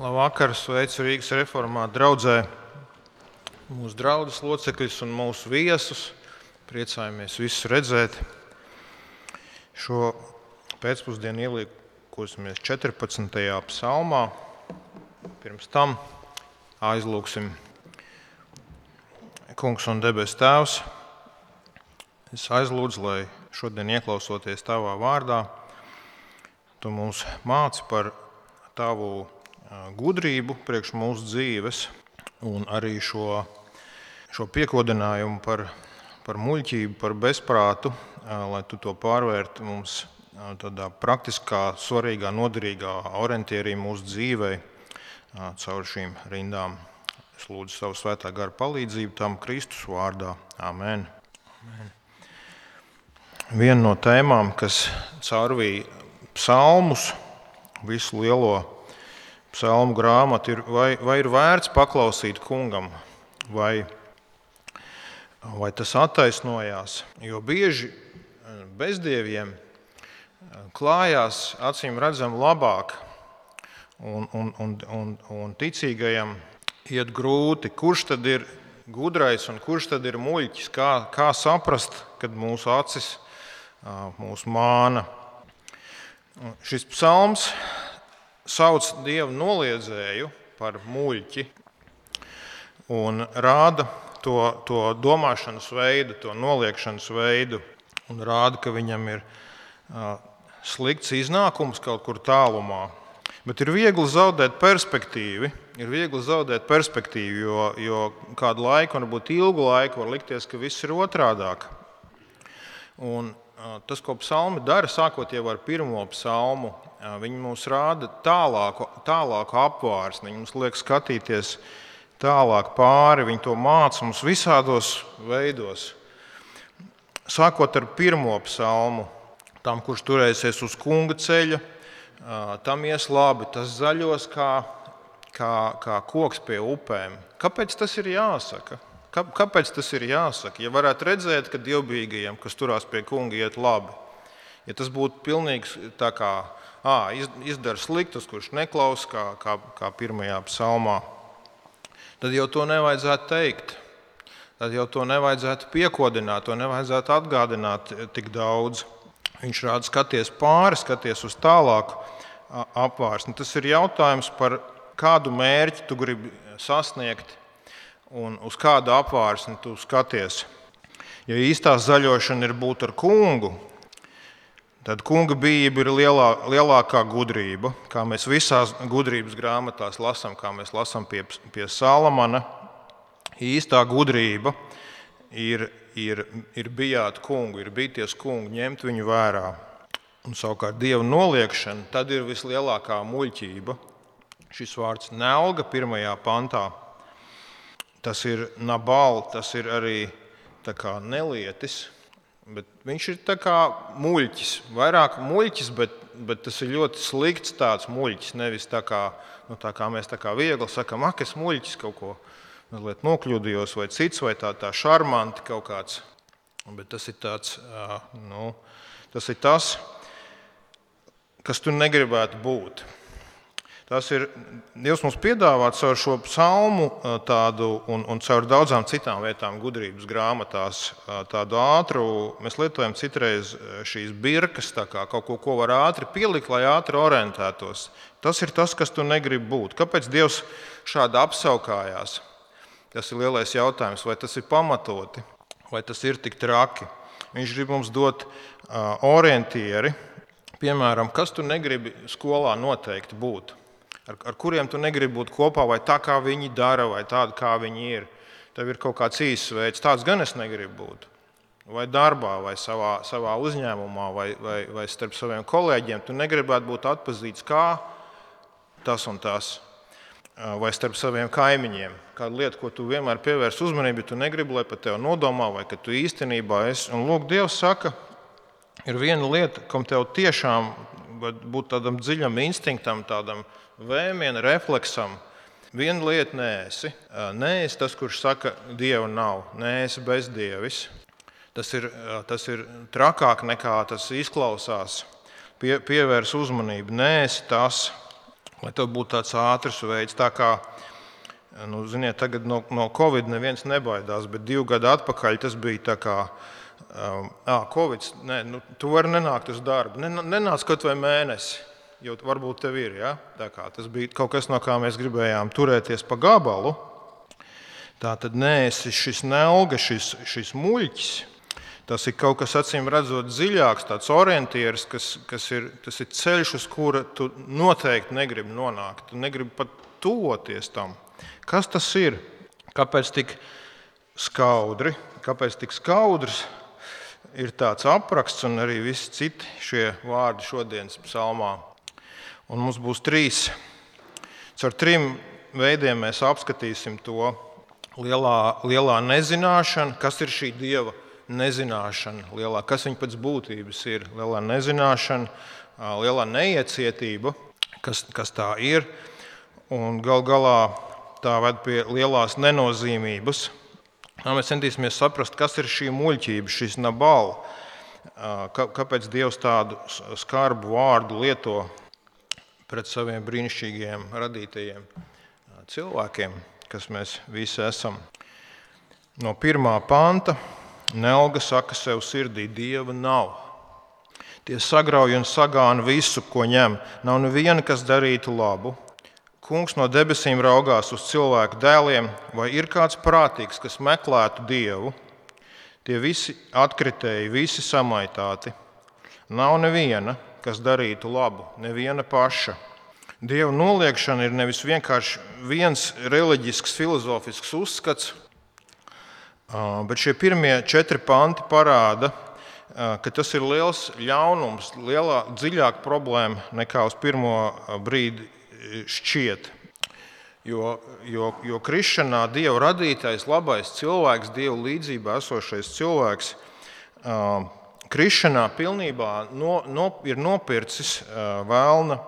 Labvakar, sveicu Rīgas reformātu draudzē, mūsu draudzes locekļus un mūsu viesus. Priecājamies visus redzēt. Šo pēcpusdienu ielīkosimies 14. psalmā. Pirms tam aizlūgsim. Kungs un debes Tēvs, es aizlūdzu, lai šodien ieklausoties Tavā vārdā, Tu mūs māci par Tavu gudrību priekš mūsu dzīves un arī šo piekodinājumu par muļķību, par bezprātu, lai Tu to pārvērti mums tādā praktiskā, svarīgā, noderīgā orientierī mūsu dzīvei caur šīm rindām. Es lūdzu savu svētā gara palīdzību tam Kristus vārdā. Amen. Viena no tēmām, kas caurvīja psalmus, visu lielo psalmu grāmatu, ir, vai ir vērts paklausīt kungam, vai tas attaisnojās. Jo bieži bezdieviem klājās acīm redzam labāk, un ticīgajam iet grūti. Kurš tad ir gudrais un kurš tad ir muļķis? Kā saprast, kad mūsu acis mūs māna? Šis psalms sauc Dievu noliedzēju par muļķi un rāda to domāšanas veidu, to noliekšanas veidu, un rāda, ka viņam ir slikts iznākums kaut kur tālumā. Bet ir viegli zaudēt perspektīvu, jo kādu laiku, varbūt ilgu laiku, var likties, ka viss ir otrādāk. Un tas, ko psalmi dara, sākot jau ar pirmo psalmu, viņi mums rāda tālāku apvārsni, viņi mums liek skatīties tālāk pāri, viņi to māca mums visādos veidos. Sākot ar pirmo psalmu, tam, kurš turēsies uz kunga ceļa, tam ies labi, tas zaļos kā koks pie upēm. Kāpēc tas ir jāsaka? Kāpēc tas ir jāsaka? Ja varētu redzēt, ka dievbijīgajiem, kas turās pie kunga, iet labi, ja tas būtu pilnīgs tā kā izdara sliktus, kurš neklaus, kā pirmajā psalmā, tad jau to nevajadzētu teikt. Tad jau to nevajadzētu piekodināt, to nevajadzētu atgādināt tik daudz. Viņš rāda skaties pāri, skaties uz tālāku apvārsni. Tas ir jautājums par kādu mērķi tu gribi sasniegt un uz kādu apvārsni tu skaties. Ja īstā zaļošana ir būt ar kungu, tad kunga bijība ir lielākā gudrība, kā mēs visās gudrības grāmatās lasām, kā mēs lasām pie Salamana. Īstā gudrība ir bijāt kungu, ir bīties kungu, ņemt viņu vērā. Un savukārt Dieva noliekšana, tad ir vislielākā muļķība. Šis vārds nelga 1. pantā, tas ir nabal, tas ir arī tā kā nelietis, bet viņš ir tā kā muļķis, vairāk muļķis, bet tas ir ļoti slikts tāds muļķis, nevis tā kā mēs tā kā viegli sakam, es muļķis kaut ko mazliet nokļūdījos vai cits, vai tā šarmanti kaut kāds, bet tas ir tāds, tas ir tas, kas tu negribētu būt. Tas ir Dievs mums piedāvā caur šo psalmu tādu un caur daudzām citām vietām gudrības grāmatās tādu ātru, mēs lietojam citreiz šīs birkas, tā kā kaut ko var ātri pielikt, lai ātri orientētos. Tas ir tas, kas tu negribi būt. Kāpēc Dievs šādi apsaukājās? Tas ir lielais jautājums, vai tas ir pamatoti, vai tas ir tik traki. Viņš grib mums dot orientieri, piemēram, kas tu negribi skolā noteikti būt. Ar kuriem tu negribi būt kopā, vai tā, kā viņi dara, vai tāda, kā viņi ir. Tev ir kaut kāds īsts veids, tāds gan es negribu būt. Vai darbā, vai savā uzņēmumā, vai starp saviem kolēģiem. Tu negribētu būt atpazīts kā tas un tas. Vai starp saviem kaimiņiem. Kāda lieta, ko tu vienmēr pievērs uzmanību, tu negribi, lai par tevi nodomā, vai ka tu īstenībā esi. Un lūk, Dievs saka, ir viena lieta, kam tev tiešām būt tādam dziļam instinktam, tādam vēmiena refleksam. Viena lieta neesi. Neesi tas, kurš saka, Dieva nav. Neesi bezdievis. Tas ir trakāk nekā tas izklausās. Pievērs uzmanību. Neesi tas. lai tev būtu tāds ātrs veids. Tā kā, ziniet, tagad no Covid neviens nebaidās, bet 2 gadu atpakaļ tas bija tā kā, Covid, tu vari nenākt uz darbu, nenāc kaut vai mēnesi, jo varbūt tev ir, ja? Tā kā tas bija kaut kas, no kā mēs gribējām turēties pa gabalu. Tā tad neesi šis nelga, šis muļķis. Tas ir kaut kas, acīm redzot, dziļāks, tāds orientieris, tas ir ceļš, uz kura tu noteikti negribi nonākt. Tu negribi pat tuvoties tam. Kas tas ir? Kāpēc tik skaudri? Kāpēc tik skaudrs ir tāds apraksts un arī visi citi šie vārdi šodienas psalmā? Un mums būs 3. Caur 3 veidiem mēs apskatīsim to lielā nezināšana, kas ir šī Dieva nezināšana, kas viņa pēc būtības ir, lielā nezināšana, lielā neiecietība, kas tā ir, un gal galā tā ved pie lielās nenozīmības. Mēs centīsimies saprast, kas ir šī muļķība, šis Nabal, kāpēc Dievs tādu skarbu vārdu lieto pret saviem brīnišķīgiem radītajiem cilvēkiem, kas mēs visi esam. No 1. panta. Nelga saka sev sirdī, Dieva nav. Tie sagrauj un sagāna visu, ko ņem. Nav neviena, kas darītu labu. Kungs no debesīm raugās uz cilvēku dēliem, vai ir kāds prātīgs, kas meklētu Dievu? Tie visi atkritēji, visi samaitāti. Nav neviena, kas darītu labu, neviena paša. Dieva noliekšana ir nevis vienkārši viens reliģisks, filozofisks uzskats, bet šie pirmie 4 panti parāda, ka tas ir liels ļaunums, dziļāka problēma nekā uz pirmo brīdi šķiet. Jo krišanā Dieva radītais, labais cilvēks, Dieva līdzībā esošais cilvēks, krišanā pilnībā ir nopircis vēlna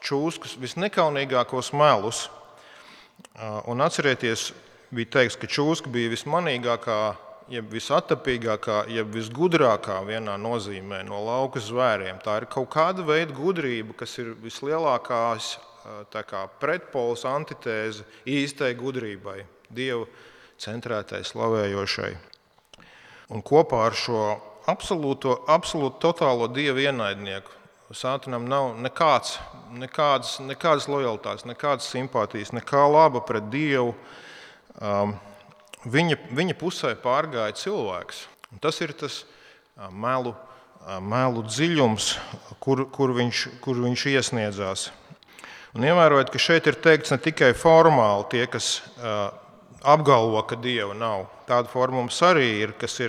čūskas visnekaunīgākos melus. Un atcerieties, bija teikts, ka čūska bija vismanīgākā, jeb visatapīgākā, jeb visgudrākā vienā nozīmē no lauka zvēriem. Tā ir kaut kāda veida gudrība, kas ir vislielākās pretpols, antitēze īstai gudrībai, Dieva centrētai, slavējošai. Un kopā ar šo absolūtu totālo Dieva ienaidnieku Sātanam nav nekādas lojalitātes, nekādas simpātijas, nekā laba pret Dievu. Viņa pusē pārgāja cilvēks. Un tas ir tas melu dziļums, kur viņš iesniedzās. Un ievērojot, ka šeit ir teikts ne tikai formāli tie, kas apgalvo, ka Dieva nav. Tāda forma mums arī ir, kas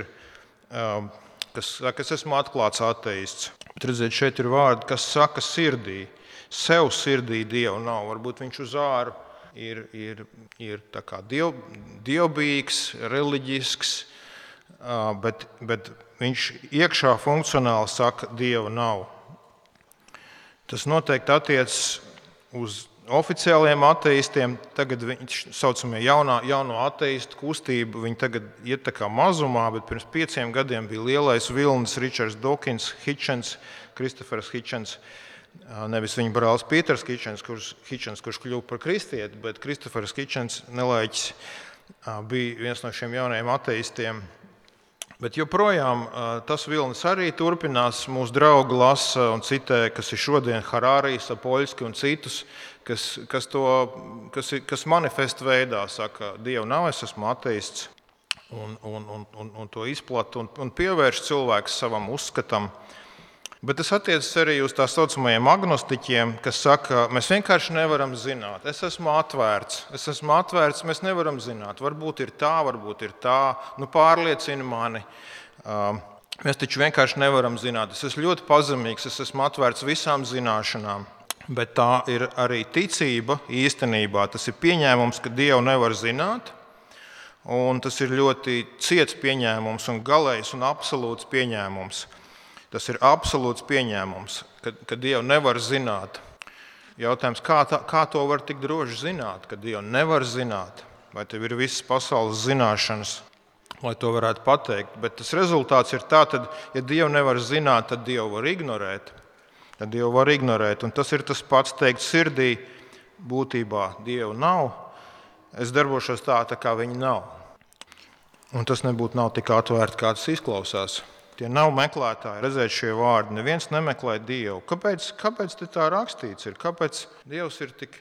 saka, es esmu atklāts ateists. Bet redziet, šeit ir vārdi, kas saka sirdī. Sev sirdī Dieva nav. Varbūt viņš uz āru ir tā kā dievbijīgs, reliģisks, bet viņš iekšā funkcionāli saka, Dieva nav. Tas noteikti attiecas uz oficiāliem ateistiem. Tagad viņš saucamie jauno ateistu kustību, viņi tagad iet tā kā mazumā, bet pirms 5 gadiem bija lielais vilnis Richards Dawkins, Kristofers Hitchens. Nevis viņa brālis Pīters Hitchens, kurš kļuva par kristieti, bet Kristofers Hitchens nelaiķis bija viens no šiem jaunajiem ateistiem. Bet joprojām tas vilnis arī turpinās. Mūsu draugi lasa un citē, kas ir šodien Harārijs, Sapoļski un citus, kas manifesta veidā saka, Dieva nav, es esmu ateists, un to izplata un pievērš cilvēks savam uzskatam. Bet tas attiecas arī uz tā saucamajiem agnostiķiem, kas saka, mēs vienkārši nevaram zināt. Es esmu atvērts, mēs nevaram zināt. Varbūt ir tā, pārliecina mani. Mēs taču vienkārši nevaram zināt. Es esmu ļoti pazemīgs, es esmu atvērts visām zināšanām. Bet tā ir arī ticība īstenībā. Tas ir pieņēmums, ka Dievu nevar zināt. Un tas ir ļoti ciets pieņēmums un galējs un absolūts pieņēmums. Tas ir absolūts pieņēmums, ka Dievu nevar zināt. Jautājums, kā to var tik droši zināt, ka Dievu nevar zināt? Vai tev ir visas pasaules zināšanas, lai to varētu pateikt? Bet tas rezultāts ir tā, tad, ja Dievu nevar zināt, tad Dievu var ignorēt. Un tas ir tas pats teikt sirdī, būtībā Dieva nav, es darbošos tā kā viņa nav. Un tas nebūtu nav tik atvērti, kā tas izklausās. Tie nav meklētāji, redzēt šie vārdi. Neviens nemeklē Dievu. Kāpēc te tā rakstīts ir? Kāpēc Dievs ir tik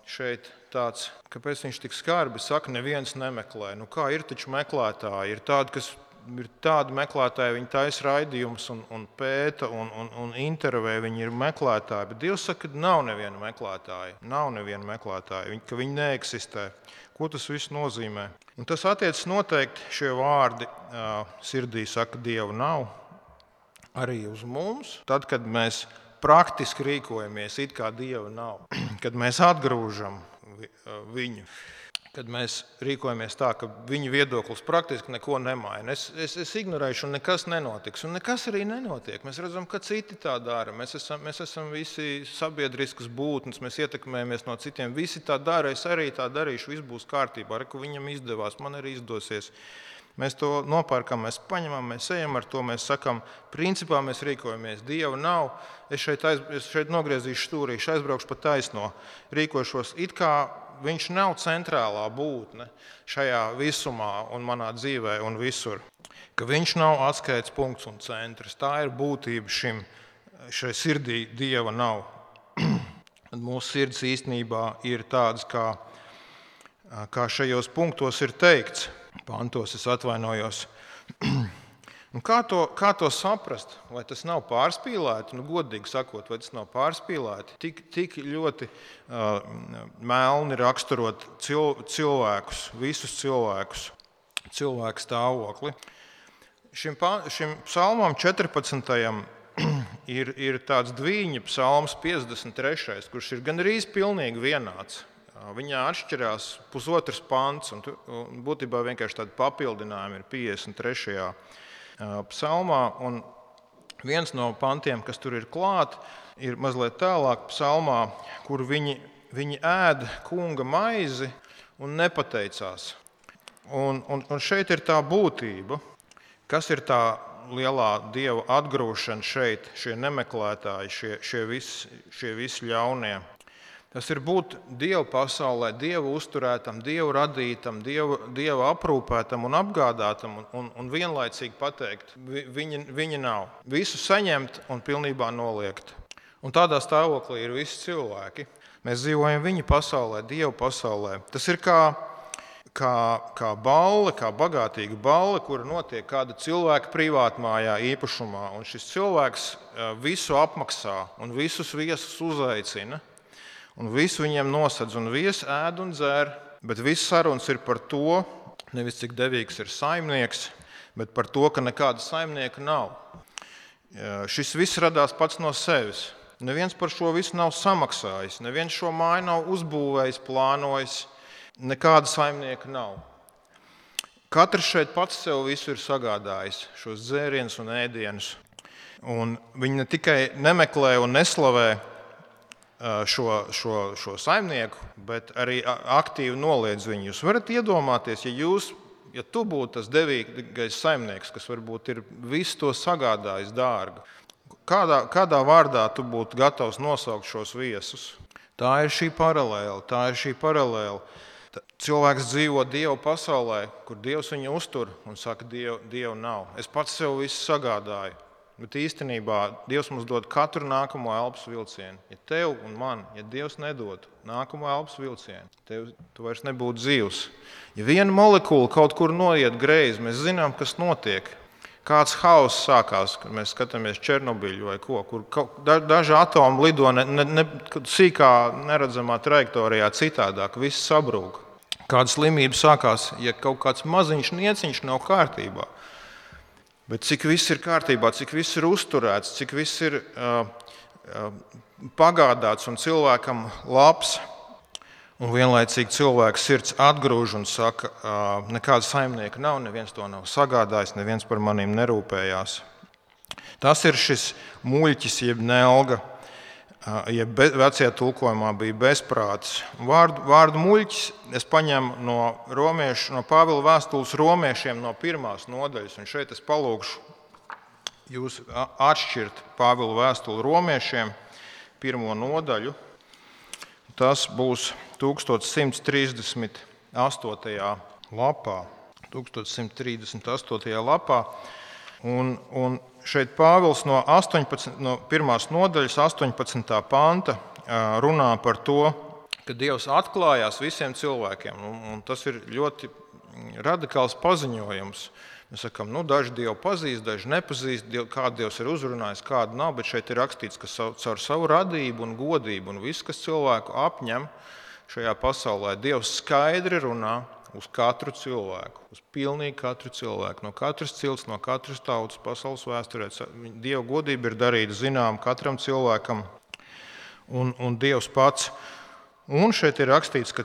šeit tāds, kāpēc viņš tik skarbi saka, neviens nemeklē? Nu kā ir taču meklētāji? Ir tādi meklētāji, viņi taisa raidījumus un pēta un intervē, viņi ir meklētāji. Bet Dievs saka, ka nav neviena meklētāja. Nav neviena meklētāja, ka viņi neeksistē. Ko tas viss nozīmē? Un tas attiecas noteikti šie vārdi sirdī saka, Dieva nav, arī uz mums. Tad, kad mēs praktiski rīkojamies, it kā Dieva nav, kad mēs atgrūžam viņu, kad mēs rīkojamies tā, ka viņa viedoklis praktiski neko nemaina. Es ignorēšu, un nekas nenotiks. Un nekas arī nenotiek. Mēs redzam, ka citi tā dara. Mēs esam visi sabiedriskas būtnes, mēs ietekmējamies no citiem. Visi tā dara, es arī tā darīšu, viss būs kārtībā. Reku viņam izdevās, man arī izdosies. Mēs to nopērkam, mēs paņemam, mēs ejam ar to, mēs sakam, principā mēs rīkojamies. Dieva nav, es šeit nogriezīšu stūrīšu, aizbraukšu pa taisno, rīkošos it kā viņš nav centrālā būtne šajā visumā un manā dzīvē un visur. Ka viņš nav atskaites punkts un centrs. Tā ir būtība šai sirdī Dieva nav. Mūsu sirds īstenībā ir tādas, kā šajos punktos ir teikts. Pantos es atvainojos. Un kā to saprast? Vai tas nav pārspīlēti? Godīgi sakot, vai tas nav pārspīlēti? Tik ļoti melni raksturot cilvēkus, visus cilvēkus, cilvēku stāvokli. Šim psalmam 14. ir tāds dviņa psalms 53., kurš ir gandrīz pilnīgi vienāds. Viņā atšķirās pusotrs pants, un būtībā vienkārši tādi papildinājumi ir 53. Psalmā, un viens no pantiem, kas tur ir klāt, ir mazliet tālāk psalmā, kur viņi ēd kunga maizi un nepateicās. Un šeit ir tā būtība, kas ir tā lielā Dieva atgrūšana šeit, šie nemeklētāji, šie visi ļaunie. Tas ir būt Dieva pasaulē, Dieva uzturētam, Dieva radītam, Dieva aprūpētam un apgādātam un vienlaicīgi pateikt, viņa nav. Visu saņemt un pilnībā noliegt. Un tādā stāvoklī ir visi cilvēki. Mēs dzīvojam viņa pasaulē, Dieva pasaulē. Tas ir kā balle, kā bagātīga balle, kura notiek kāda cilvēka privātmājā īpašumā. Un šis cilvēks visu apmaksā un visus viesus uzaicina. Un visu viņiem nosedz, un viesi ēd un dzer, bet viss sarunas ir par to, nevis cik devīgs ir saimnieks, bet par to, ka nekāda saimnieka nav. Šis viss radās pats no sevis. Neviens par šo visu nav samaksājis, neviens šo māju nav uzbūvējis, plānojis, nekāda saimnieka nav. Katrs šeit pats sev visu ir sagādājis, šos dzērienus un ēdienus. Un viņi ne tikai nemeklē un neslavē šo saimnieku, bet arī aktīvi noliedz viņu. Jūs varat iedomāties, ja tu būtu tas devīgais saimnieks, kas varbūt ir visu to sagādājis dārgu, kādā vārdā tu būtu gatavs nosaukt šos viesus? Tā ir šī paralēle. Cilvēks dzīvo Dieva pasaulē, kur Dievs viņu uztur un saka, Dieva nav. Es pats sev visu sagādāju. Bet īstenībā Dievs mums dod katru nākamo elpas vilcienu. Ja tev un man, ja Dievs nedod nākamo elpas vilcienu, tu vairs nebūtu dzīvs. Ja viena molekula kaut kur noiet greizi, mēs zinām, kas notiek. Kāds hauss sākās, kad mēs skatāmies Černobiļu vai ko, kur daži atomi lido sīkā neredzamā trajektorijā citādāk, viss sabrūk. Kāda slimība sākās, ja kaut kāds maziņš nieciņš nav kārtībā. Bet cik viss ir kārtībā, cik viss ir uzturēts, cik viss ir pagādāts un cilvēkam labs, un vienlaicīgi cilvēks sirds atgrūž un saka, nekāda saimnieka nav, neviens to nav sagādājis, neviens par maniem nerūpējās. Tas ir šis muļķis, jeb nelga, jeb vecajā tulkojumā bija bezprātis. Vārdu muļķis es paņemu no Pāvila vēstules romiešiem no 1. nodaļas, un šeit es palūgšu jūs atšķirt Pāvila vēstuli romiešiem 1. nodaļu. tas būs 1138. lapā. 1138. lapā. Un šeit Pāvils no 1. nodaļas 18. panta runā par to, ka Dievs atklājās visiem cilvēkiem. Un tas ir ļoti radikāls paziņojums. Mēs sakām, daži Dievu pazīst, daži nepazīst, kādu Dievs ir uzrunājis, kādu nav, bet šeit ir rakstīts, ka caur savu radību un godību un visu, kas cilvēku apņem šajā pasaulē, Dievs skaidri runā uz katru cilvēku, uz pilnīgi katru cilvēku, no katras cilts, no katras tautas pasaules vēsturē. Dieva godība ir darīta zinām katram cilvēkam un Dievs pats. Un šeit ir rakstīts, ka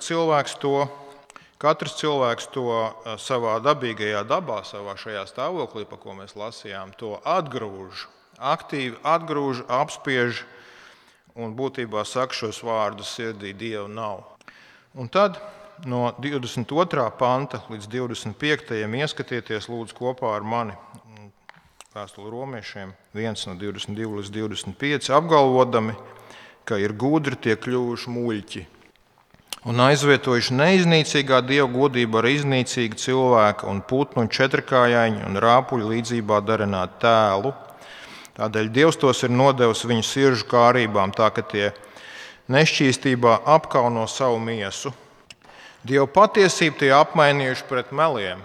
katrs cilvēks to savā dabīgajā dabā, savā šajā stāvoklī, pa ko mēs lasījām, to atgrūž, aktīvi atgrūž, apspiež un būtībā saka šos vārdus sirdī: Dieva nav. Un tad no 22. panta līdz 25. ieskatieties lūdzu kopā ar mani vēstuli romiešiem 1 no 22 līdz 25, apgalvodami, ka ir gudri tie kļuvuši muļķi un aizvietojuši neiznīcīgā Dieva godību ar iznīcīgu cilvēku un putnu un četrkājaiņu un rāpuļu līdzībā darināt tēlu. Tādēļ Dievs tos ir nodevis viņu siržu kārībām, tā ka tie nešķīstībā apkauno savu miesu. Dieva patiesību tie apmainījuši pret meliem,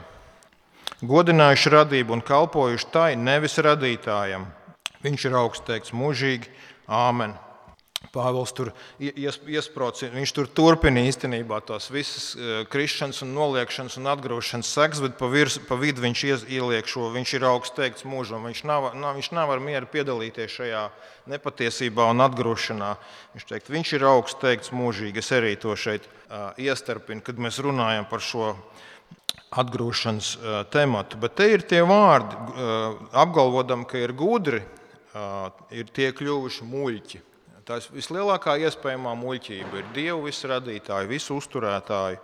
godinājuši radību un kalpojuši tai, nevis radītājam. Viņš ir augsts teikts mūžīgi. Āmen. Pāvils tur iesprauc, viņš tur turpina īstenībā tās visas krišanas un noliekšanas un atgrūšanas sekas, bet pa vidu viņš ieliek šo: viņš ir augsts teikts mūžam. Viņš nav ar mieru piedalīties šajā nepatiesībā un atgrūšanā. Viņš ir augsts teikts mūžīgi. Es arī to šeit iestarpinu, kad mēs runājam par šo atgrūšanas tematu. Bet te ir tie vārdi, apgalvodam, ka ir gudri, ir tie kļuvuši muļķi. Tā vislielākā iespējamā muļķība ir Dievu visu radītāju, visu uzturētāju,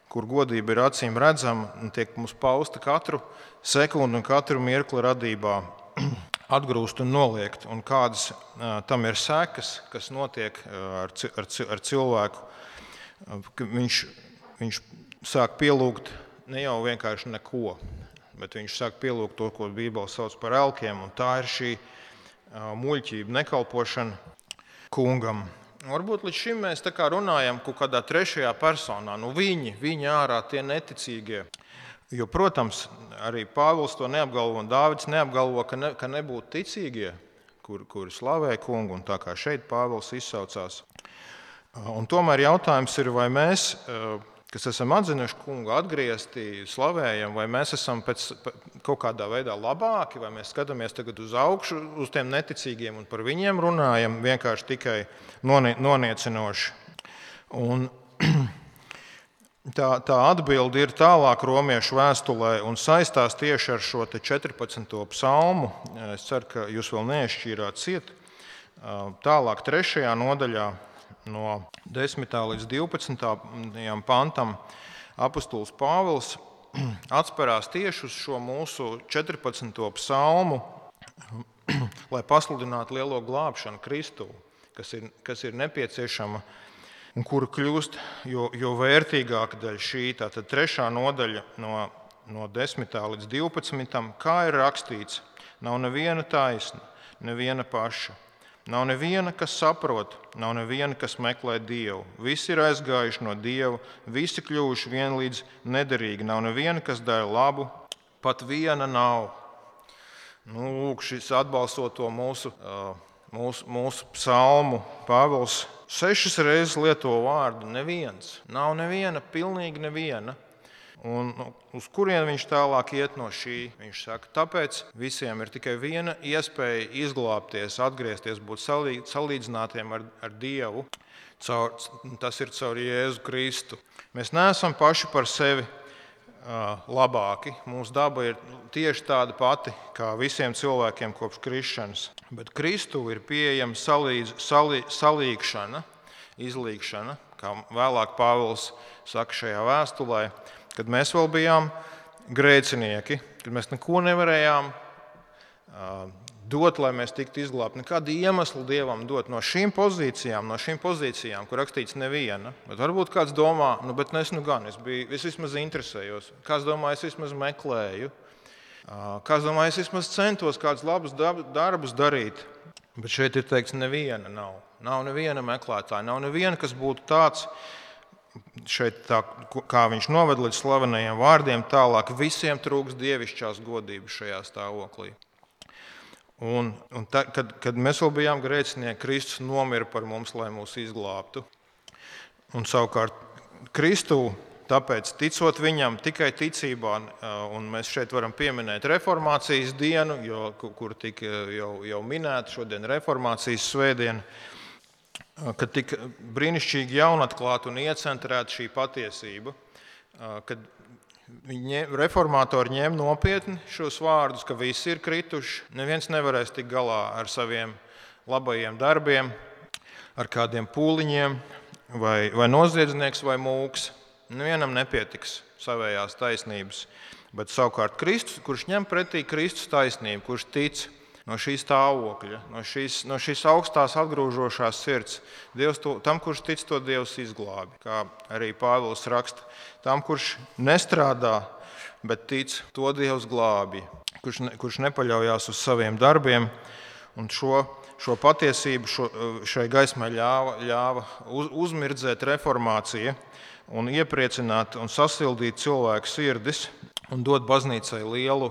kur godība ir acīm redzama un tiek mums pausta katru sekundi un katru mirkli radībā, atgrūst un noliegt. Un kādas tam ir sekas, kas notiek ar cilvēku. Viņš sāk pielūgt ne jau vienkārši neko, bet viņš sāk pielūgt to, ko Bībele sauc par elkiem. Un tā ir šī muļķība, nekalpošana kungam. Varbūt līdz šim mēs tā kā runājam kaut kādā trešajā personā. Viņi ārā tie neticīgie. Jo, protams, arī Pāvils to neapgalvo un Dāvids neapgalvo, ka nebūtu ticīgie, kuri slavē kungu, un tā kā šeit Pāvils izsaucās. Un tomēr jautājums ir, vai mēs, kas esam atzinuši kungu, atgriezti, slavējam, vai mēs esam kaut kādā veidā labāki, vai mēs skatāmies tagad uz augšu, uz tiem neticīgiem un par viņiem runājam vienkārši tikai noniecinoši. Un tā atbilde ir tālāk romiešu vēstulē un saistās tieši ar šo 14. psalmu. Es ceru, ka jūs vēl neizšķīrāt ciet. Tālāk 3. nodaļā no 10. līdz 12. pantam apostols Pāvils atsperās tieši uz šo mūsu 14. psalmu, lai pasludinātu lielo glābšanu Kristu, kas ir nepieciešama un kura kļūst jo vērtīgāka daļa šī. Tātad 3. nodaļa no 10. līdz 12. Kā ir rakstīts: nav neviena taisna, neviena paša. Nav neviena, kas saprot, nav neviena, kas meklē Dievu. Visi ir aizgājuši no Dieva, visi kļuvuši vienlīdz nederīgi. Nav neviena, kas dara labu, pat viena nav. Lūk, šis atbalstot to mūsu psalmu, Pāvils 6 reizes lieto vārdu neviens. Nav neviena, pilnīgi neviena. Un uz kurien viņš tālāk iet no šī? Viņš saka, tāpēc visiem ir tikai viena iespēja izglābties, atgriezties, būt salīdzinātiem ar Dievu. Tas ir caur Jēzu Kristu. Mēs neesam paši par sevi labāki. Mūsu daba ir tieši tāda pati kā visiem cilvēkiem kopš krišanas. Bet Kristu ir pieejama salīgšana, izlīgšana, kā vēlāk Pāvils saka šajā vēstulē, kad mēs vēl bijām grēcinieki, kad mēs neko nevarējām dot, lai mēs tiktu izglābti. Nekādu iemeslu Dievam dot no šīm pozīcijām, kur rakstīts neviena. Bet varbūt kāds domā, bet es vismaz interesējos. Kāds domā, es vismaz meklēju. Kāds domā, es vismaz centos kādus labus darbus darīt. Bet šeit ir teikts, neviena nav. Nav neviena meklētāja, nav neviena, kas būtu tāds, šeit tā, kā viņš noved līdz slavenajiem vārdiem, tālāk visiem trūks dievišķās godības šajā stāvoklī. Kad mēs vēl bijām grēcinieki, Kristus nomira par mums, lai mūs izglābtu. Un savukārt Kristu, tāpēc ticot viņam tikai ticībā, un mēs šeit varam pieminēt reformācijas dienu, kur tika jau minēta šodien reformācijas svētdiena, kad tika brīnišķīgi jaunatklāta un iecentrēta šī patiesība, kad reformātori ņem nopietni šos vārdus, ka visi ir krituši, neviens nevarēs tikt galā ar saviem labajiem darbiem, ar kādiem pūliņiem, vai noziedznieks, vai mūks. Nevienam nepietiks savējās taisnības, bet savukārt Kristus, kurš ņem pretī Kristus taisnību, kurš tic no šī stāvokļa, no šīs augstās atgrūžošās sirds, tam, kurš tic, to Dievs izglābi. Kā arī Pāvils raksta, tam, kurš nestrādā, bet tic, to Dievs glābi, kurš nepaļaujās uz saviem darbiem. Un šo patiesību šai gaismai ļāva uzmirdzēt reformācija un iepriecināt un sasildīt cilvēku sirdis un dot baznīcai lielu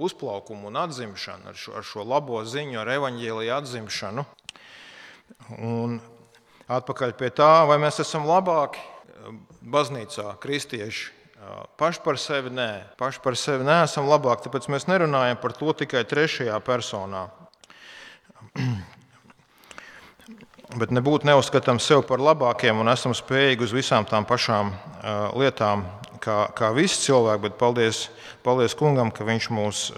uzplaukumu un atzimšanu ar šo labo ziņu, ar evaņģēlija atzimšanu. Un atpakaļ pie tā, vai mēs esam labāki baznīcā, kristieši. Paši par sevi nē. Paši par sevi neesam labāki, tāpēc mēs nerunājam par to tikai trešajā personā. Bet nebūtu neuzskatām sevi par labākiem un esam spējīgi uz visām tām pašām lietām, kā visi cilvēki, bet paldies Kungam, ka Viņš mūs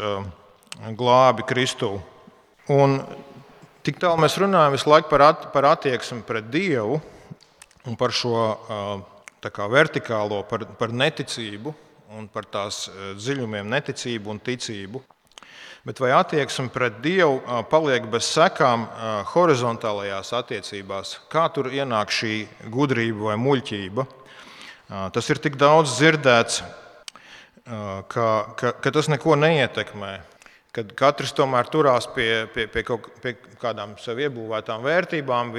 glābi Kristū. Un tik tālu mēs runājam visu laiku par attieksmi pret Dievu un par šo vertikālo, par neticību un par tās dziļumiem neticību un ticību. Bet vai attieksme pret Dievu paliek bez sekām horizontālajās attiecībās? Kā tur ienāk šī gudrība vai muļķība? Tas ir tik daudz dzirdēts, ka tas neko neietekmē. Kad katrs tomēr turās pie kādām sev iebūvētām vērtībām,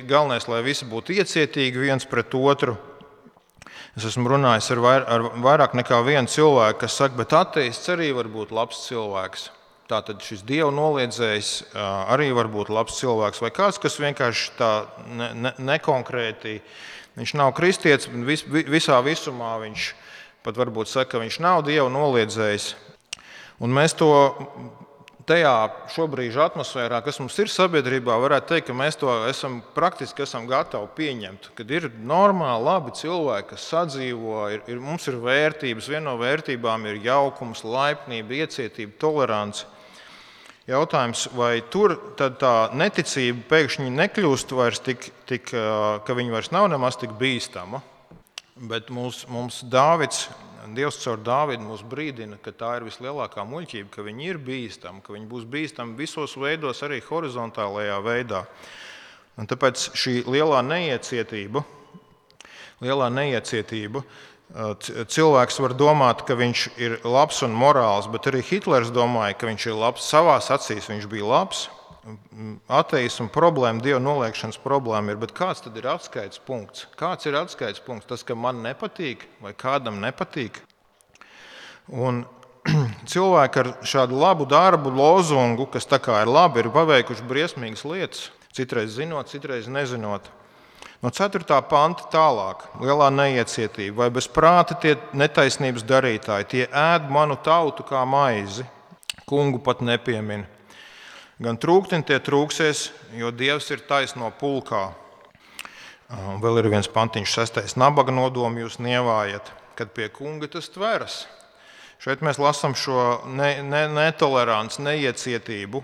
galvenais, lai visi būtu iecietīgi viens pret otru. Es esmu runājis ar vairāk nekā vienu cilvēku, kas saka, bet ateists arī var būt labs cilvēks. Tātad šis Dieva noliedzējs arī var būt labs cilvēks, vai kāds, kas vienkārši tā nekonkrēti, viņš nav kristietis, visā visumā viņš pat varbūt saka, ka viņš nav Dieva noliedzējs. Un mēs to tajā šobrīd atmosfērā, kas mums ir sabiedrībā, varētu teikt, ka mēs to praktiski esam gatavi pieņemt, kad ir normāli, labi cilvēki, kas sadzīvo, mums ir vērtības, viena no vērtībām ir jaukums, laipnība, iecietība, tolerance. Jautājums, vai tur tad tā neticība pēkšņi nekļūst vairs ka viņa vairs nav nemaz tik bīstama, bet mums Dievs caur Dāvidu mūs brīdina, ka tā ir vislielākā muļķība, ka viņi ir bīstami, ka viņi būs bīstami visos veidos, arī horizontālajā veidā. Un tāpēc šī lielā neiecietība, cilvēks var domāt, ka viņš ir labs un morāls, bet arī Hitlers domāja, ka viņš ir labs. Savās acīs viņš bija labs. Ateisma problēma, Dieva noliekšanas problēma ir, bet kāds tad ir atskaites punkts? Kāds ir atskaites punkts? Tas, ka man nepatīk vai kādam nepatīk? Un cilvēki ar šādu labu darbu, lozungu, kas tā kā ir labi, ir paveikuši briesmīgas lietas, citreiz zinot, citreiz nezinot. No 4. panta tālāk, lielā neiecietība, vai bez prāta tie netaisnības darītāji, tie ēd manu tautu kā maizi, kungu pat nepiemina. Gan trūktiņi tie trūksies, jo Dievs ir taisno pulkā. Vēl ir viens pantiņš 6. Nabaga nodomu jūs nievājat, kad pie kunga tas tveras. Šeit mēs lasām šo netoleranci, neiecietību.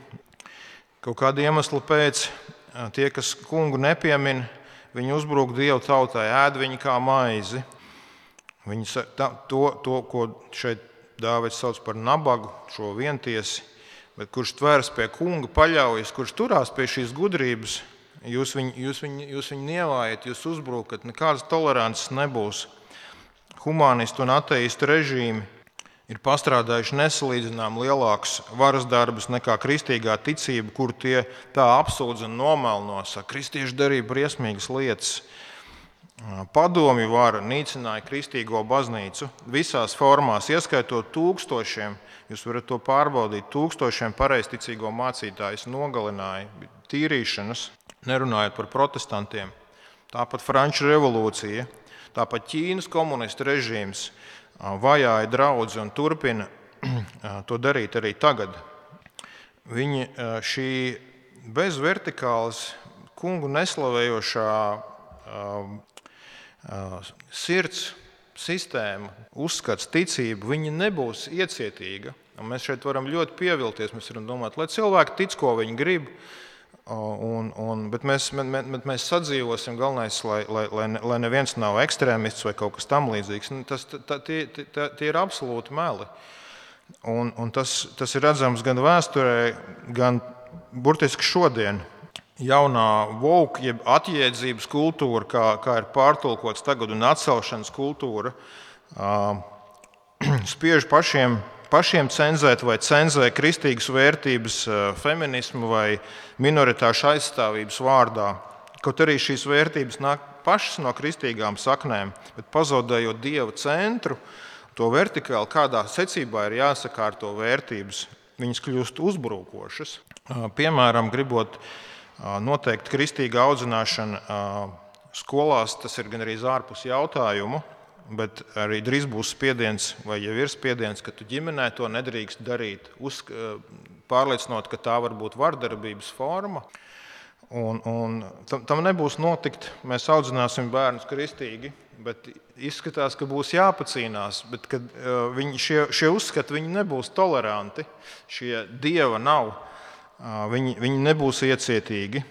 Kaut kādu iemeslu pēc tie, kas kungu nepiemina, viņi uzbrūk Dievu tautai, ēd viņu kā maizi. To, ko šeit Dāvids sauc par nabagu, šo vientiesi, bet kurš tvērs pie kunga, paļaujas, kurš turās pie šīs gudrības, jūs viņu nievājat, jūs uzbrukat, nekādas tolerances nebūs. Humanistu un ateistu režīmi ir pastrādājuši nesalīdzinām lielākus varas darbus nekā kristīgā ticība, kur tie tā apsūdz un nomelno, saka, kristieši darīja briesmīgas lietas. Padomju vara nīcināja kristīgo baznīcu visās formās, ieskaitot tūkstošiem, jūs varat to pārbaudīt, tūkstošiem pareizticīgo mācītājus nogalināja, tīrīšanas, nerunājot par protestantiem. Tāpat Franču revolūcija, tāpat Ķīnas komunistu režīms vajāja draugu un turpina to darīt arī tagad. Viņi šī bez vertikālas kungu neslavējošā sirds sistēma, uzskats, ticība, viņa nebūs iecietīga. Un mēs šeit varam ļoti pievilties, mēs varam domāt, lai cilvēki tic, ko viņi grib, bet mēs sadzīvosim, galvenais, lai neviens nav ekstrēmists vai kaut kas tam līdzīgs. Tie ir absolūti meli. Un tas ir redzams gan vēsturē, gan burtiski šodien. Jaunā woke, jeb atjēdzības kultūra, kā ir pārtulkots tagad, un atcelšanas kultūra, spiež pašiem cenzēt vai cenzē kristīgas vērtības feminismu vai minoritāšu aizstāvības vārdā. Kaut arī šīs vērtības nāk pašas no kristīgām saknēm, bet pazaudējot Dieva centru, to vertikāli, kādā secībā ir jāsakārto vērtības, viņas kļūst uzbrukošas. Piemēram, gribot noteikt kristīga audzināšana skolās, tas ir gan arī ārpus jautājumu, bet arī drīz būs spiediens, vai jau ir spiediens, ka tu ģimenē to nedrīkst darīt, pārliecinot, ka tā var būt vardarbības forma. Un tam nebūs notikt. Mēs audzināsim bērnus kristīgi, bet izskatās, ka būs jāpacīnās. Bet kad šie uzskati viņi nebūs toleranti, šie dieva nav, viņi nebūs iecietīgi.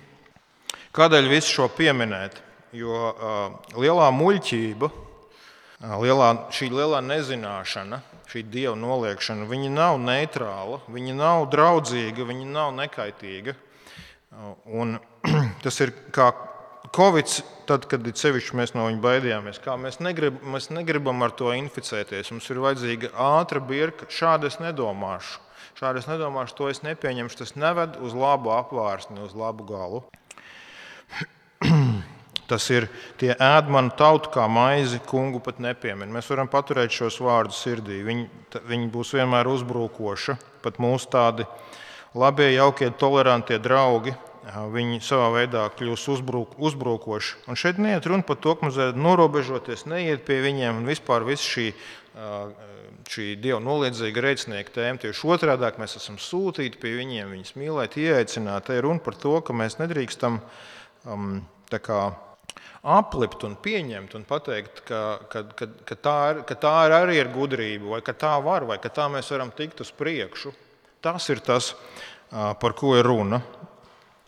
Kādēļ visu šo pieminēt? Jo lielā muļķība, šī lielā nezināšana, šī dieva noliekšana, viņa nav neitrāla, viņa nav draudzīga, viņa nav nekaitīga. Un tas ir kā Covid, tad, kad sevišķi mēs no viņa baidījāmies, kā mēs negribam ar to inficēties. Mums ir vajadzīga ātra birka. Šādi es nedomāšu, to es nepieņemšu. Tas neved uz labu apvārsni, uz labu galu. Tas ir tie ēd manu tautu kā maizi, kungu pat nepiemin. Mēs varam paturēt šos vārdus sirdī. Viņi būs vienmēr uzbrukoši. Pat mūsu tādi labie, jaukie, tolerantie draugi, viņi savā veidā kļūs uzbrukoši. Un šeit neiet runa par to, ka mums vajag norobežoties, neiet pie viņiem un vispār viss šī dieva noliedzīga rēcinieka tēma. Tieši otrādāk mēs esam sūtīti pie viņiem, viņus mīlēt, ieaicināt. Te ir runa par to, ka mēs nedrīkstam aplipt un pieņemt un pateikt, ka tā arī ir gudrība, vai ka tā var, vai ka tā mēs varam tikt uz priekšu. Tas ir tas, par ko ir runa.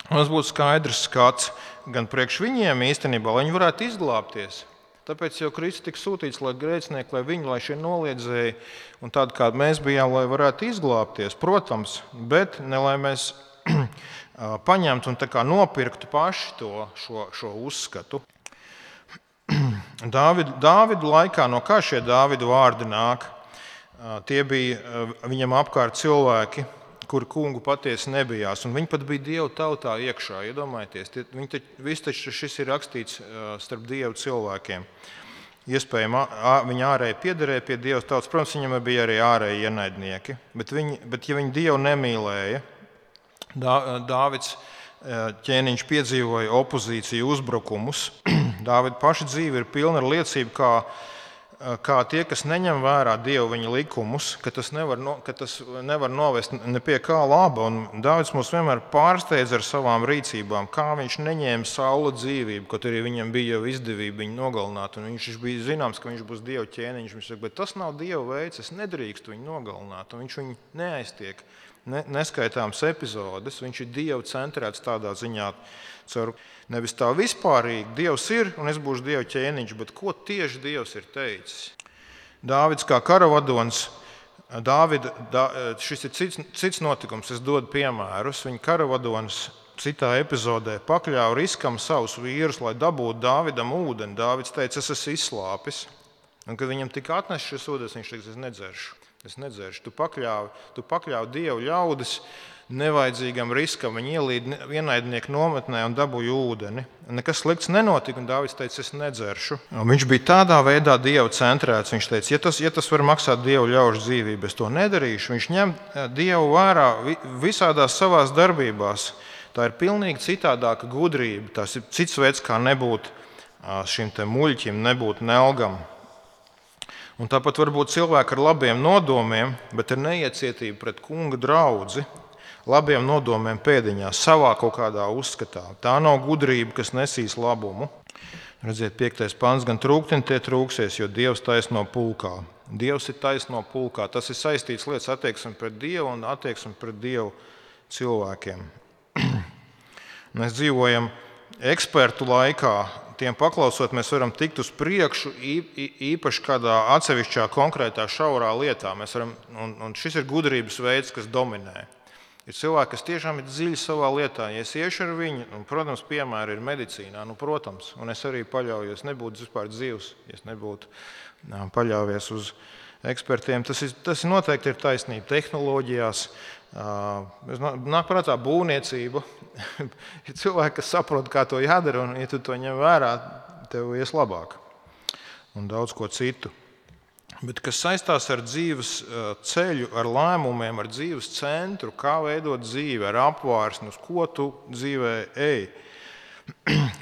Mums būtu skaidrs skats gan priekš viņiem īstenībā, lai viņi varētu izglābties. Tāpēc jau Kristus tika sūtīts, lai grēcinieki, lai šie noliedzēji un tādi, kādi mēs bijām, lai varētu izglābties, protams, bet ne lai mēs paņemtu un nopirktu paši šo uzskatu. Dāvidu laikā, no kā šie Dāvidu vārdi nāk? Tie bija viņam apkārt cilvēki, kuri kungu patiesi nebijās, un viņi pat bija Dievu tautā iekšā, iedomājieties. Viss taču šis ir rakstīts starp Dievu cilvēkiem. Iespējams, viņi ārēji piederēja pie Dieva tautas, protams, viņam bija arī ārēji ienaidnieki, bet ja viņi Dievu nemīlēja, Dāvids ķēniņš piedzīvoja opozīciju, uzbrukumus. Dāvida paša dzīve ir pilna ar liecību, kā tie, kas neņem vērā Dievu viņa likumus, ka tas nevar novest ne pie kā laba. Un Dāvids mūs vienmēr pārsteidz ar savām rīcībām, kā viņš neņēma Saula dzīvību, kaut arī viņam bija jau izdevība viņu nogalināt. Un viņš bija zināms, ka viņš būs Dieva ķēniņš. Viņš saka, bet tas nav Dieva veids, es nedrīkstu viņu nogalināt. Un viņš viņu neaiztiek. Neskaitāms epizodes, viņš ir Dieva centrēts tādā ziņā, nevis tā vispārīgi, Dievs ir un es būšu Dieva ķēniņš, bet ko tieši Dievs ir teicis. Dāvids kā karavadonis šis ir cits notikums, es dodu piemērus. Viņa karavadonis citā epizodē pakļāva riskam savus vīrus, lai dabūtu Dāvidam ūdeni. Dāvids teica, es esmu izslāpis. Un, kad viņam tika atnests šis ūdens, viņš teica, es nedzeršu. Tu pakļāvi Dievu ļaudis nevajadzīgam riskam. Viņi ielīda ienaidnieku nometnē un dabūja ūdeni. Nekas slikts nenotika, un Dāvids teica, es nedzeršu. Un viņš bija tādā veidā Dievu centrēts. Viņš teica, ja tas var maksāt Dievu ļaužu dzīvību, es to nedarīšu. Viņš ņem Dievu vērā visādās savās darbībās. Tā ir pilnīgi citādāka gudrība. Tas ir cits veids, kā nebūt šim te muļķim, nebūt nelgam. Un tāpat var būt cilvēki ar labiem nodomiem, bet ar neiecietību pret kunga draudzi, labiem nodomiem pēdiņās, savā kaut kādā uzskatā. Tā nav gudrība, kas nesīs labumu. Redziet, 5. pants, gan trūktiņi tie trūksies, jo Dievs taisno pulkā. Dievs ir taisno pulkā. Tas ir saistīts lietas attieksmi pret Dievu un attieksmi pret Dievu cilvēkiem. Mēs dzīvojam ekspertu laikā. Tiem paklausot, mēs varam tikt uz priekšu īpaši kādā atsevišķā konkrētā šaurā lietā. Un šis ir gudrības veids, kas dominē. Ir cilvēki, kas tiešām ir dziļi savā lietā. Ja es iešu ar viņu, un, protams, piemēri ir medicīnā, protams, un es arī paļaujos, nebūtu vispār dzīvs, ja es nebūtu paļaujies uz ekspertiem. Tas noteikti ir taisnība tehnoloģijās. Nāk prātā būvniecība. Ir cilvēki, kas saprot, kā to jādara, un, ja tu to ņem vērā, tev ies labāk. Un daudz ko citu. Bet kas saistās ar dzīves ceļu, ar lēmumiem, ar dzīves centru, kā veidot dzīvi, ar apvārsni, uz ko tu dzīvē ej,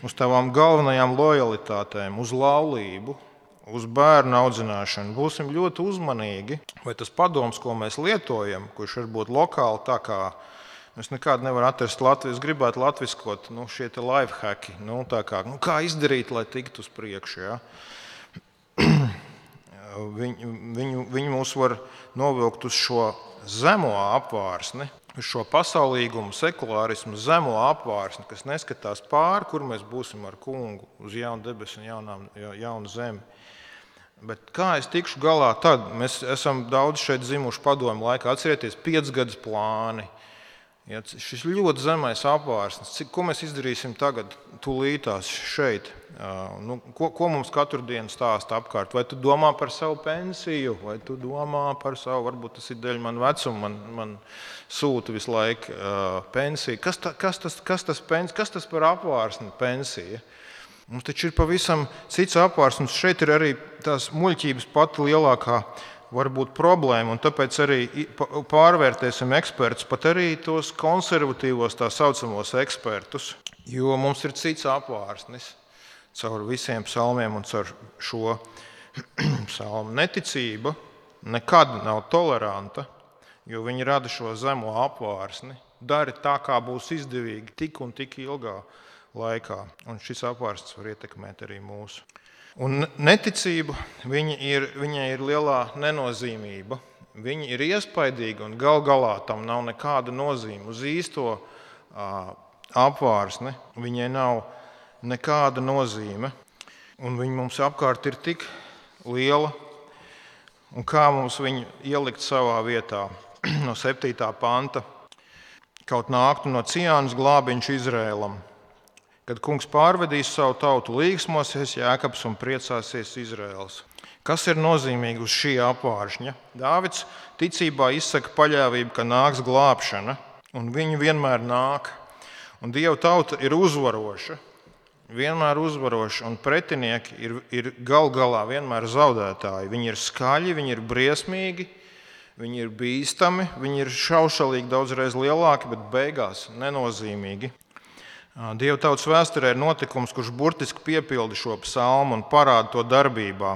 uz tavām galvenajām lojalitātēm, uz laulību, uz bērnu audzināšanu. Būsim ļoti uzmanīgi, vai tas padoms, ko mēs lietojam, kurš varbūt lokāli tā kā es nekādu nevaru atrast Latvijas, gribētu latviskot šie te life hacki, kā izdarīt, lai tiktu uz priekšu. Ja? Viņi mūs var novilkt uz šo zemo apvārsni, uz šo pasaulīgumu, sekulārismu, zemo apvārsni, kas neskatās pāri, kur mēs būsim ar kungu uz jaunu debesu un jaunu zemi. Bet kā es tikšu galā tad? Mēs esam daudz šeit zimuši padomu laikā. Atcerieties, 5 gadus plāni. Ja, šis ļoti zemais apvārsnis. Ko mēs izdarīsim tagad, tūlītās šeit? Ko mums katru dienu stāsta apkārt? Vai tu domā par savu pensiju? Vai tu domā par savu, varbūt tas ir dēļ man vecuma, man sūta visu laiku pensiju. Kas tas par apvārsni pensija? Mums taču ir pavisam cits apvārsnis. Šeit ir arī tās muļķības pati lielākā varbūt problēma, un tāpēc arī pārvērtēsim ekspertus, pat arī tos konservatīvos tā saucamos ekspertus, jo mums ir cits apvārsnis caur visiem psalmiem un caur šo psalmu. Neticība nekad nav toleranta, jo viņi rada šo zemo apvārsni, dara tā, kā būs izdevīgi tik un tik ilgā laikā, un šis apvārsnis var ietekmēt arī mūsu. Un neticība, viņai ir lielā nenozīmība. Viņa ir iespaidīga un gal galā tam nav nekāda nozīme. Uz īsto apvārsni viņai nav nekāda nozīme. Un viņa mums apkārt ir tik liela. Un kā mums viņu ielikt savā vietā? No 7. panta. Kaut nāktu no Ciānas glābiņš Izrēlam. Kad kungs pārvedīs savu tautu, līgsmosies Jēkabs un priecāsies Izraels. Kas ir nozīmīgi uz šī apvāršņa? Dāvids ticībā izsaka paļāvību, ka nāks glābšana, un viņi vienmēr nāk. Un Dieva tauta ir uzvaroša, vienmēr uzvaroša, un pretinieki ir gal galā vienmēr zaudētāji. Viņi ir skaļi, viņi ir briesmīgi, viņi ir bīstami, viņi ir šaušalīgi daudzreiz lielāki, bet beigās nenozīmīgi. Dieva tautas vēsturē ir notikums, kurš burtiski piepilda šo psalmu un parāda to darbībā.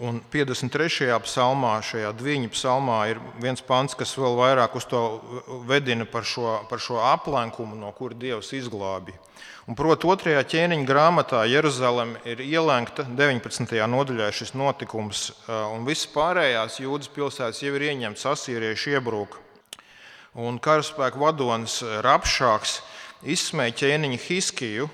Un 53. psalmā, šajā Dviņu psalmā, ir viens pants, kas vēl vairāk uz to vedina par šo aplenkumu, no kura Dievs izglābi. Un proti 2. ķēniņa grāmatā Jeruzaleme ir ielenkta 19. nodaļā šis notikums, un visas pārējās Jūdas pilsētas jau ir ieņemtas, asīrieši iebrūk. Un karaspēku vadonis Rapšāks izsmēja ķēniņu Hiskiju,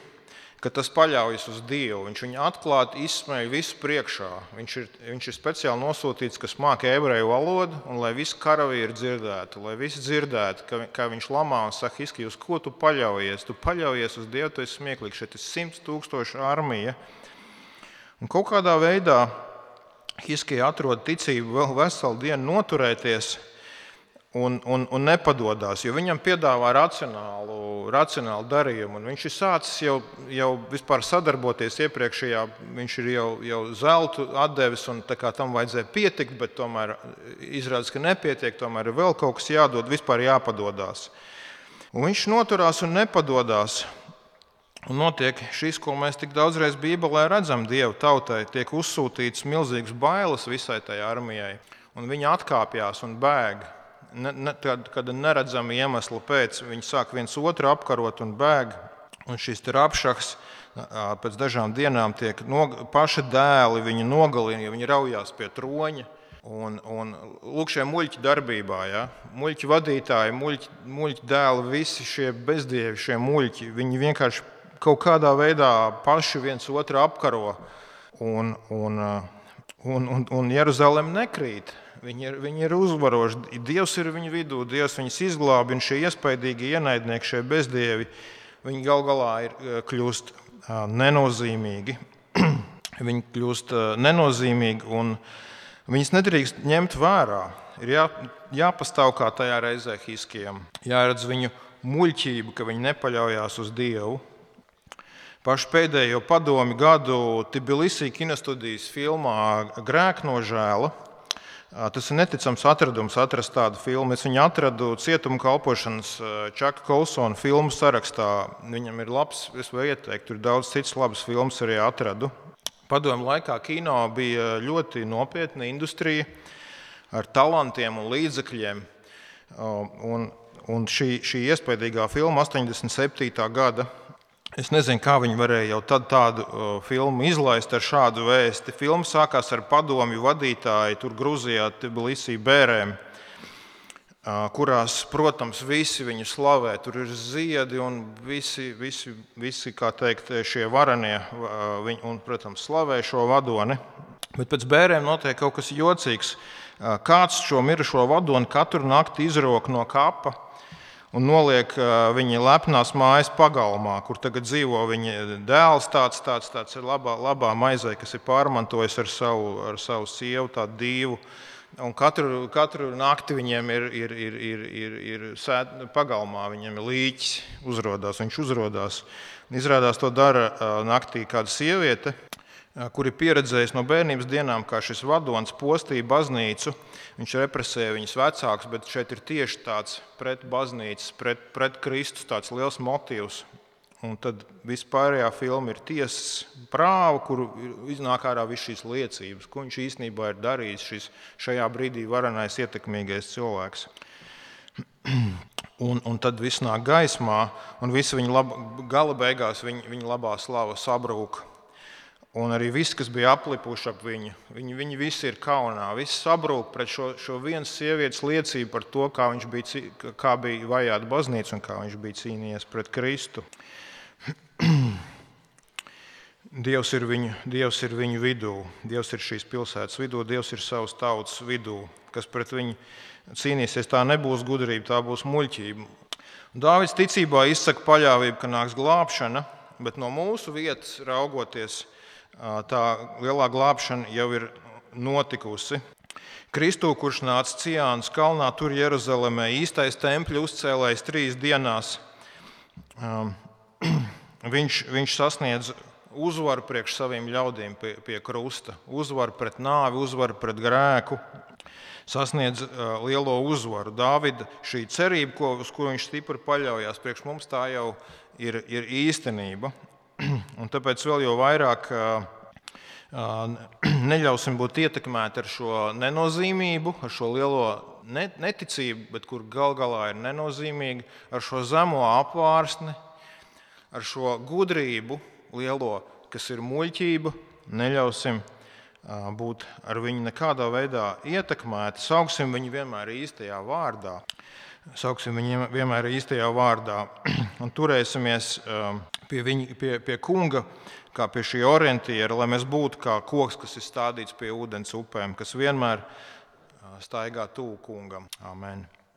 ka tas paļaujas uz Dievu. Viņš viņu atklāti izsmēja visu priekšā. Viņš ir speciāli nosūtīts, kas māca ebreju valodu, un lai visi karavīri dzirdētu, lai visi dzirdētu, kā viņš lamā un saka, Hiskija, uz ko tu paļaujies? Tu paļaujies uz Dievu, tu esi smieklīgs, šeit ir 100 000 armija. Un kaut kādā veidā Hiskija atrod ticību vēl veselu dienu noturēties un nepadodās, jo viņam piedāvā racionālu darījumu. Un viņš ir sācis jau vispār sadarboties iepriekšējā, viņš ir jau zeltu atdevis, un tā kā tam vajadzēja pietikt, bet tomēr izrādās, ka nepietiek, tomēr ir vēl kaut kas jādod, vispār jāpadodās. Un viņš noturās un nepadodās. Un notiek šis, ko mēs tik daudzreiz Bībelē redzam, Dieva tautai tiek uzsūtīts milzīgs bailes visai tai armijai, un viņi atkāpjās un bēg. Kad neredzami iemesli pēc, viņi sāk viens otru apkarot un bēg. Un šis Rabšahs pēc dažām dienām tiek paši dēli viņu nogalina, jo viņi raujās pie troņa. Un lūk, šie muļķi darbībā, ja? Muļķi vadītāji, muļķi dēli, visi šie bezdievi, šie muļķi, viņi vienkārši kaut kādā veidā paši viens otru apkaro. Un Jeruzalem nekrīt. Viņi ir uzvaroši. Dievs ir viņu vidū, Dievs viņus izglābi, un šie iespaidīgi ienaidnieki, šie bezdievi, viņi gal galā kļūst nenozīmīgi. Viņi kļūst nenozīmīgi, un viņus nedrīkst ņemt vērā. Ir jāpastāv kā tajā reizē Hiskijam. Jāredz viņu muļķību, ka viņi nepaļaujās uz Dievu. Pašu pēdējo padomi gadu Tbilisī kinostudijas filmā Grēknožēla. Tas ir neticams atradums atrast tādu filmu. Es viņu atradu cietuma kalpošanas Čaka Kolsona filmu sarakstā. Viņam ir labs, es varu ieteikt, tur daudz citas labas filmas arī atradu. Padomu laikā kino bija ļoti nopietna industrija ar talantiem un līdzekļiem. Un šī iespaidīgā filma 87. gada. Es nezinu, kā viņi varēja jau tad tādu filmu izlaist ar šādu vēsti. Filma sākās ar padomju vadītāju tur Gruzijā, Tbilisī bērēm, kurās, protams, visi viņu slavē. Tur ir ziedi un visi kā teikt, šie varenie un, protams, slavē šo vadoni. Bet pēc bērēm notiek kaut kas jocīgs. Kāds šo mirušo vadoni katru nakti izrok no kapa un noliek viņa lepnās mājas pagalmā, kur tagad dzīvo viņa dēls, tāds ir labā maizē, kas ir pārmantojis ar savu sievu, tādu dīvu. Un katru nakti viņiem ir pagalmā, viņiem ir līķis, viņš uzrodās. Izrādās to dara naktī kāda sieviete, kur ir pieredzējis no bērnības dienām, kā šis vadonis postīja baznīcu. Viņš represēja viņas vecākus, bet šeit ir tieši tāds pret baznīcas, pret Kristus tāds liels motīvs. Un tad vispārējā filma ir tiesas prāva, kur iznāk ārā viss šīs liecības, ko viņš īstenībā ir darījis šajā brīdī varenais ietekmīgais cilvēks. Un tad viss nāk gaismā, un visi gala beigās viņa labā slava sabrūk. Un arī viss, kas bija aplipuši ap viņu, viņi visi ir kaunā. Viss sabrūk pret šo vienas sievietes liecību par to, kā bija vajāta baznīca un kā viņš bija cīnījies pret Kristu. Dievs ir viņu vidū, Dievs ir šīs pilsētas vidū, Dievs ir savas tautas vidū, kas pret viņu cīnīsies. Tā nebūs gudrība, tā būs muļķība. Dāvids ticībā izsaka paļāvību, ka nāks glābšana, bet no mūsu vietas raugoties, tā lielā glābšana jau ir notikusi. Kristu, kurš nāca Ciānas kalnā, tur Jeruzalemē, īstais tempļa uzcēlējs 3 dienās, viņš sasniedz uzvaru priekš saviem ļaudīm pie krusta, uzvaru pret nāvi, uzvaru pret grēku, sasniedz lielo uzvaru. Dāvida šī cerība, uz ko viņš stipri paļaujās, priekš mums tā jau ir īstenība. Un tāpēc vēl jau vairāk neļausim būt ietekmēti ar šo nenozīmību, ar šo lielo neticību, bet kur gal galā ir nenozīmīga, ar šo zemo apvārsni, ar šo gudrību lielo, kas ir muļķība, neļausim būt ar viņu nekādā veidā ietekmēti, sauksim viņu vienmēr īstajā vārdā. Sauksim viņu vienmēr īstajā vārdā un turēsimies pie kunga, kā pie šī orientiera, lai mēs būtu kā koks, kas ir stādīts pie ūdens upēm, kas vienmēr staigā tuvu kungam. Amen.